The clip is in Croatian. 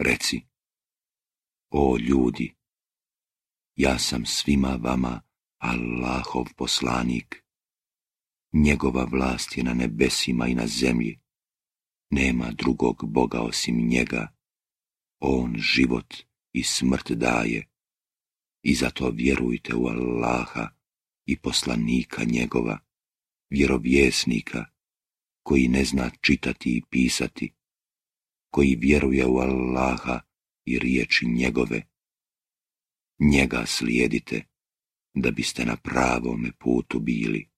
Reci, o ljudi, ja sam svima vama Allahov poslanik. Njegova vlast je na nebesima i na zemlji. Nema drugog Boga osim njega. On život i smrt daje. I zato vjerujte u Allaha i poslanika njegova, vjerovjesnika, koji ne zna čitati i pisati, koji vjeruje u Allaha i riječi njegove. Njega slijedite, da biste na pravome putu bili.